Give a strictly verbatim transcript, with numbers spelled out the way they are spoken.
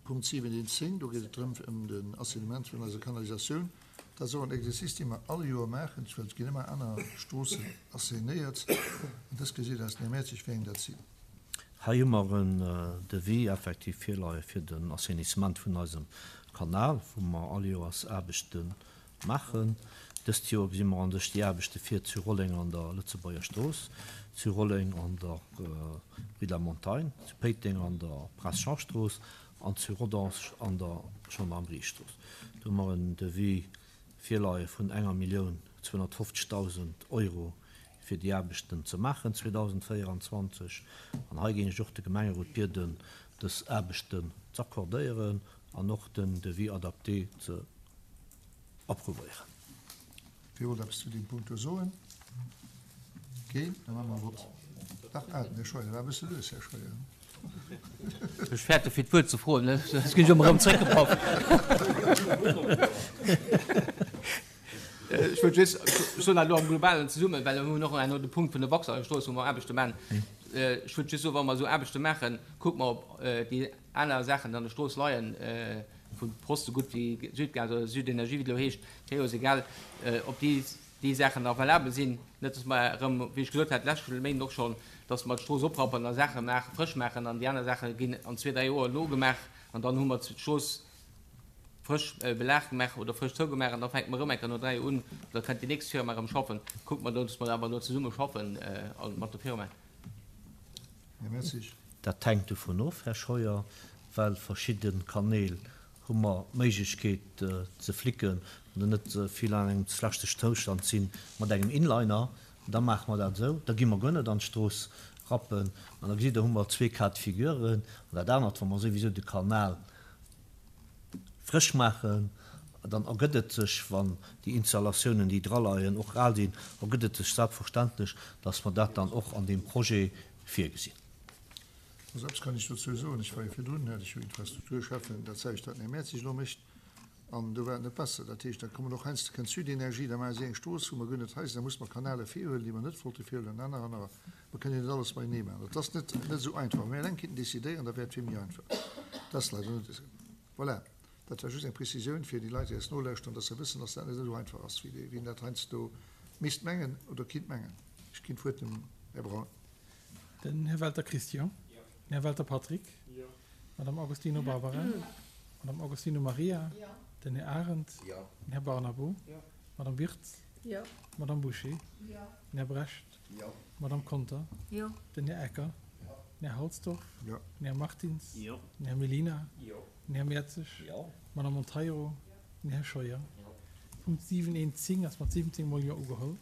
Punkt siwen eent zéng, do geet et drëm ëm den Assainissement vun eiser Kanalisatioun. Dat ass och en Exercice, dee mer all Joer maachen, well et ginn ëmmer aner Stroossen assainéiert. An dës gesitt aus den Här Mertzig, wéi eng dat sinn. Hei hu mer en Devis effektiv virleie fir den Assainissement vun eisem Kanal, wou mer all Joers Aarbechte maachen. Dëst Joer gesi mer an sech déi Aarbechte vir zu Rolleng an der Lëtzebuerger Strooss, zu Rolleng an der Rue de la Montagne, zu Péiteng an der Prince Jean Strooss an zu Rodange an der Gendarmeriestrooss. Do hu mer en Devis virleie vun enger Millioun zweehonnertfofzegdausend Euro fir déi Aarbechten ze maachen zweedausendvéieranzwanzeg. An hei géing ech och de Gemengerot bieden, dës Aarbechten z'accordéieren an och den Devis adapté ze approuvéieren. Wie wollt eppes zu deem Punkt do soen? Keen? Da maache mer e Vott. Dach, ah, den Här Scheuer war e bësse lues, Här Scheuer. Ech fäerte fir d'Wuert ze froen, soss ginn ech ëmmer erëm zréckgepaff. Ech wëllt just, ech soen dat elo am Globalen zesummen, well mir hunn och herno de Punkt vun der Waxaheimer-Strooss, wou mer Aarbechte maachen. Ech wëllt just soen, wa mer esou Aarbechte maachen, kucke mer, ob déi aner Saachen, déi an der Strooss leien, vu Post esou gutt wéi Südgas oder Südenergie, wéi et elo heescht, Creos, egal, ob déi déi Saachen nach valabel sinn. Net, dass mer erëm, wéi ech gesot hat d'lescht Méinden och schonn, dass mer d'Strooss oprappen a Saache maachen, frësch maachen an déi aner Saache ginn an zwee, dräi Joer nogemaach an dann hu mer d'Strooss frësch Belag gemaach oder frësch zougemaach an da fänke mer erëm eng Kéier no dräi Joer un, da kënnt déi nächst Firma erëm schaffen. Kucke mer do, dass mer awer do zesumme schaffen mat der Firma. Här Mertzig. Dat hänkt dovun of, Här Scheuer, well verschidde Kanäl hu mer d'Méiglechkeet ze flicken oder net vill an engem schlechte Zoustand sinn mat engem Inliner. Da maache mer dat esou, da gi mer guer net an d'Strooss rappen. An da gesitt Der, hu mer zwee Cas de figuren. An dat anert, wa mer souwisou de Kanal frësch maachen, dann ergëtt et sech, wann déi Installatiounen, déi draleien, och al sinn, ergëtt et sech selbstverständlech, dass mer dat dann och an deem Projet virgesinn. Also eppes kann ech dozou soen, Ech war jo virdrun, hat ech jo Infrastrukturschäffen, dat selwecht wat den Här Mertzig elo mécht, an do war et net besser. Dat heescht, da kommen och heiansdo, kënnt Südenergie, da maache si eng Strooss, wou mer guer net hei sinn, da musse mer Kanäle virhuelen, déi mer net wollte virhuelen an aner anerer. Mer kënnen jo net alles matenee maachen. Dat ass net net esou einfach. Wa mir eleng kinnten decidéieren, da wär et vill méi einfach. Dat ass leider net esou. Voilà, dat war just eng Prezisioun fir déi Leit, déi eis nolauschteren, dass se wëssen, dass dat net esou einfach ass, wéi een dat heiansdo misst mengen oder kinnt mengen. Ech ginn d'Wuert dem Här Braun. Den Här Welter Christian. Den Här Welter Patrick. D'Madame Agostino Barbara. D'Madame Agostino Maria. Den Här Arendt. Den Här Barnabo. D'Madame Wirtz. D'Madame Bouché. Den Här Brecht. D'Madame Conter. Den Här Ecker. Den Här Halsdorf. Den Här Martins. Den Här Mellina. Den Här Mertzig. D'Madame Monteiro. Den Här Scheuer. Punkt siwen eent zéng ass mat siwwenzéng mol Jo ugeholl.